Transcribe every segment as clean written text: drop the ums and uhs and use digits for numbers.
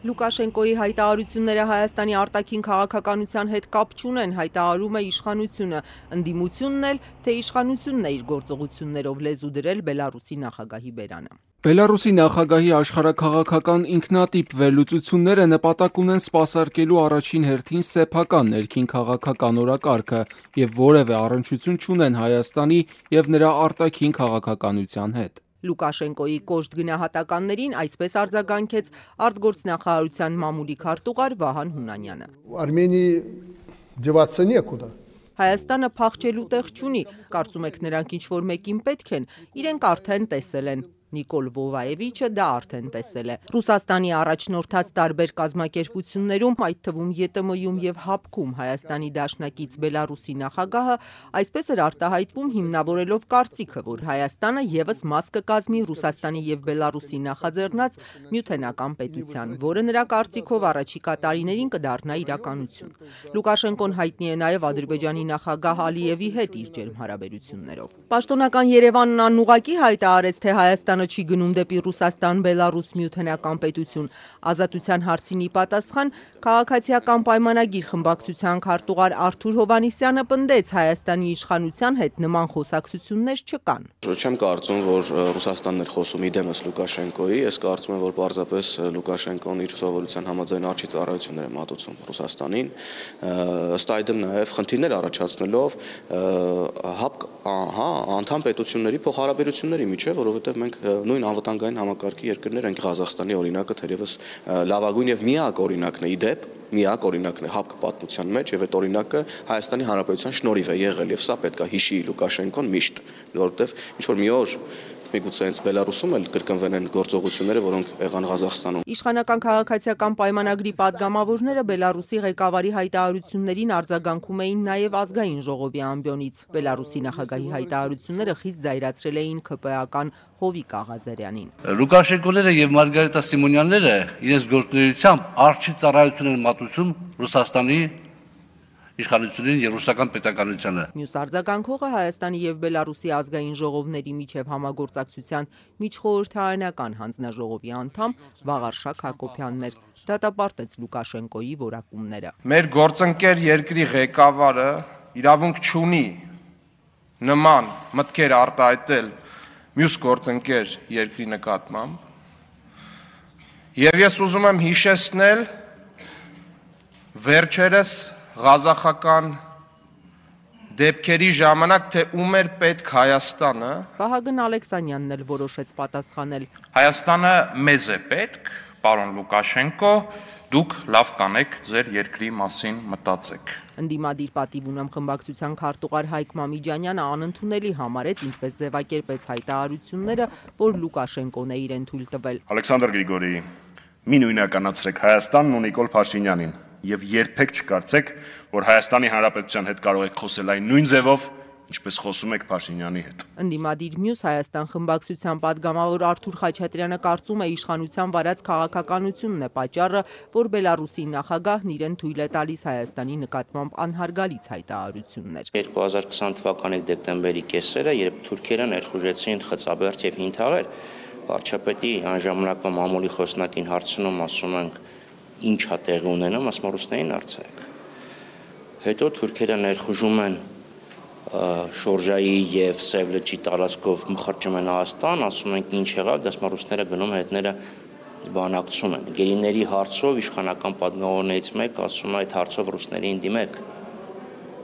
Լուկաշենկոյի հայտարարությունները Հայաստանի արտաքին քաղաքականության հետ կապ չունեն, հայտարարում է իշխանությունը, ընդդիմությունն էլ, թե իշխանությունն է իր գործողություններով լեզու դրել Բելարուսի նախագահի բերանը։ Բելարուսի նախագահի աշխարհաքաղաքական ինքնատիպ վերլուծությունները նպատակ ունեն սպասարկելու առաջին հերթին սեփական ներքին քաղաքական օրակարգը եւ որևէ առնչություն չունեն Հայաստանի եւ նրա արտաքին քաղաքականության հետ։ Լուկաշենկոյի կոշտ գնահատականներին այսպես արձագանքեց արտգործնախարարության մամուլի քարտուղար Վահան Հունանյանը։ Արմենիի деваться некуда։ Հայաստանը փախչելու տեղ չունի, կարծում եք նրանք ինչ-որ մեկին պետք են, իրենք արդեն տեսել են։ Նիկոլ Վովաևիչը դա արդեն տեսել է։ Ռուսաստանի առաջնորդած տարբեր կազմակերպություններում, այդ թվում ԵՏՄ-ում եւ ՀԱՊԿ-ում Հայաստանի դաշնակից Բելարուսի նախագահը այսպես էր արտահայտվում հիմնավորելով կարծիքը, որ Հայաստանը եւս մաս կկազմի Ռուսաստանի եւ Բելարուսի նախաձեռնած միութենական պետության, որը նրա կարծիքով առաջիկա տարիներին կդառնա իրականություն։ Լուկաշենկոն հայտնի է նաեւ Ադրբեջանի նախագահ Ալիևի հետ իր ջերմ հարաբերություններով։ Պաշտոնական Երևանն անուղղակի հայտարարեց, թե Հայաստանը չի գնում դեպի Ռուսաստան-Բելարուս միութենական պետություն։ Ազատության հարցին ի պատասխան քաղաքացիական պայմանագիր խմբակցության քարտուղար Արթուր Հովհաննիսյանը պնդեց, Հայաստանի իշխանության հետ նման խոսակցություններ չկան։ Չեմ կարծում, որ Ռուսաստանն էր խոսում իդեմս Լուկաշենկոյի, ես կարծում եմ, որ պարզապես Լուկաշենկոն իր սովորության համաձայն արջի ծառայություններ է մատուցում Ռուսաստանին, ըստ այդմ նաև խնդիրներ առաջացնելով անդամ պետությունների փոխհարաբերությունների միջև, որովհետև մենք նույն անվտանգային համակարգի երկրներ ենք, Ղազախստանի օրինակը թերևս լավագույն եւ միակ օրինակն է իդեպ, միակ օրինակն է ՀԱՊԿ պատմության մեջ եւ այդ օրինակը Հայաստանի Հանրապետության շնորհիվ է եղել եւ սա պետք է հիշի Լուկաշենկոն միշտ, որովհետեւ ինչ որ մի օր միգուցե հենց Բելարուսում էլ կրկնվեն են գործողությունները, որոնք եղան Ղազախստանում։ Իշխանական քաղաքացիական պայմանագրի падգամավորները Բելարուսի ղեկավարի հայտարարություններին արձագանքում էին նաև ազգային ժողովի ամբիոնից։ Բելարուսի նախագահի հայտարարությունները խիստ զայրացրել էին ՔՊ-ական Հովիկ Աղազարյանին։ Լուկաշենկոները եւ Մարգարիտա Սիմոնյանները իրենց գործունեությամբ արչի ծառայություն են մատուցում Ռուսաստանի իշխանությունին եւ ռուսական պետականությանը։ Մյուս արձագանքողը Հայաստանի եւ Բելարուսի ազգային ժողովների միջև համագործակցության միջխորհրդարանական հանձնաժողովի անդամ Վաղարշակ Հակոբյանն էր։ Դատապարտեց Լուկաշենկոյի որակումները։ Մեր գործընկեր երկրի ղեկավարը իրավունք չունի նման մտքեր արտահայտել մյուս գործընկեր երկրի նկատմամբ։ Եվ ես ուզում եմ հիշեցնել վերջերս Ղազախական դեպքերի ժամանակ, թե ում էր պետք Հայաստանը։ Վահագն Ալեքսանյանն էլ որոշեց պատասխանել։ Հայաստանը մեզ է պետք, պարոն Լուկաշենկո, դուք լավ կանեք ձեր երկրի մասին մտածեք։ Ընդդիմադիր պատիվ ունեմ խմբակցության քարտուղար Հայկ Մամիջանյանը անընդունելի համարեց, ինչպես ձևակերպեց հայտարարությունները, որ Լուկաշենկոն է իրեն թույլ տվել։ Ալեքսանդր Գրիգորի, մի նույնականացրեք Հայաստանն ու Նիկոլ Փաշինյանին եւ երբեք չկարծեք, որ Հայաստանի Հանրապետության հետ կարող եք խոսել այն նույն ձևով, ինչպես խոսում եք Փաշինյանի հետ։ Ընդդիմադիր մյուս Հայաստան խմբակցության падգամավոր Արթուր Խաչատրյանը կարծում է իշխանության վարած քաղաքականությունն է պատճառը, որ Բելարուսի նախագահն իրեն թույլ է տալիս Հայաստանի նկատմամբ անհարգալից հայտարարություններ։ 2020 թվականի դեկտեմբերի կեսերը, երբ թուրքերը ներխուժեցին Խծաբերդ եւ Հինթաղեր, վարչապետի անժամանակվա մամուլի խոսնակին հարցնում, ասում ենք, ինչ է տեղի ունենում, ասում ռուսներին արձակ։ Հետո թուրքերը ներխուժում են Շորժայի եւ Սև լճի տարածքով մխրճում են Հայաստան, ասում ենք ինչ եղավ, դասում ռուսները գնում հետները բանակցում են։ Գերիների հարցով իշխանական падգամավորներից մեկ ասում է այդ հարցով ռուսներին դիմեք։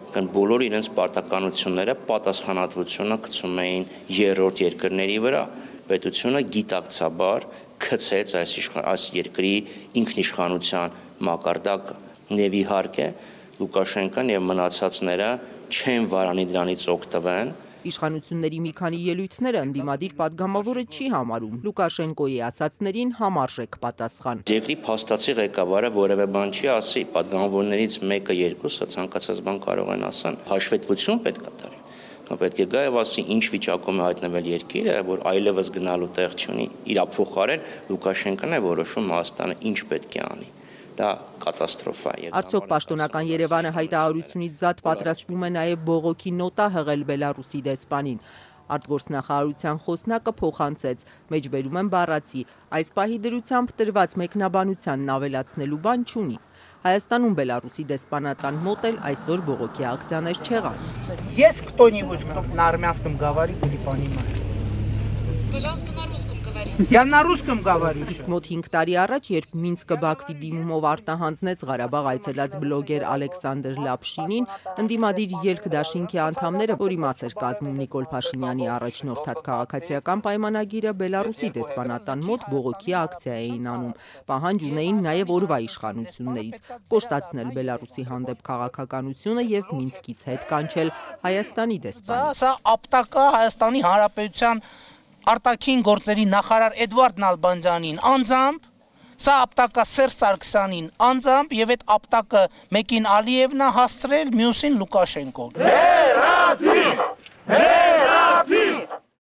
Կան բոլոր իրենց պարտականությունները, պատասխանատվությունը գցում էին երրորդ երկրների վրա։ Պետությունը գիտակցաբար գցեց այս երկրի ինքնիշխանության մակարդակը։ Եվ իհարկե Լուկաշենկոն եւ մնացածները չեն վարանի դրանից օգտվեն։ Իշխանությունների մի քանի ելույթները ընդդիմադիր падգամավորը չի համարում։ Լուկաշենկոյի ասացներին համարժեք պատասխան։ Երկրի փաստացի ղեկավարը որևէ բան չի ասի, падգամավորներից մեկը երկուսը ցանկացած բան կարող են ասան։ Հաշվետվություն պետք է տարի։ Պետք է գա եւ ասի ինչ վիճակում է հայտնվել երկիրը, որ այլևս գնալու տեղ չունի։ Իր փոխարեն Լուկաշենկոն է որոշում Հայաստանը ինչ պետք է անի։ Դա կատաստրոֆա է։ Արդյոք պաշտոնական Երևանը հայտարարությունից զատ պատրաստվում է նաև բողոքի նոտա հղել Բելարուսի դեսպանին։ Արտգործնախարարության խոսնակը փոխանցեց, մեջբերում են բառացի, այս պահի դրությամբ տրված մեկնաբանությանն ավելացնելու բան չունի։ Հայաստանում Բելարուսի դեսպանատան մոտ էլ այսօր բողոքի акցիաներ չեղան։ Есть кто-нибудь, кто на армянском говорит или понимает? Я на русском говорю. Իսկ մոտ 5 տարի առաջ, երբ Մինսկը Բաքվի դիմումով արտահանձնեց Ղարաբաղ այցելած բլոգեր Ալեքսանդր Լապշինին, ընդդիմադիր ելք դաշինքի անդամները, որի մաս էր կազմում Նիկոլ Փաշինյանի առաջնորդած քաղաքացիական պայմանագիրը, Բելարուսի դեսպանատան մոտ բողոքի акցիա էին անում, պահանջ ունեին նաև օրվա իշխանություններից կոշտացնել Բելարուսի հանդեպ քաղաքականությունը եւ Մինսկից հետ կանչել Հայաստանի դեսպանին։ Սա ապտակա Հայաստանի Հանրապետության արտաքին գործերի նախարար Էդվարդ Նալբանդյանին անձամբ, սա ապտակա Սերժ Սարգսյանին անձամբ եւ այդ ապտակը մեկին Ալիևնա հասցրել, մյուսին Լուկաշենկոն։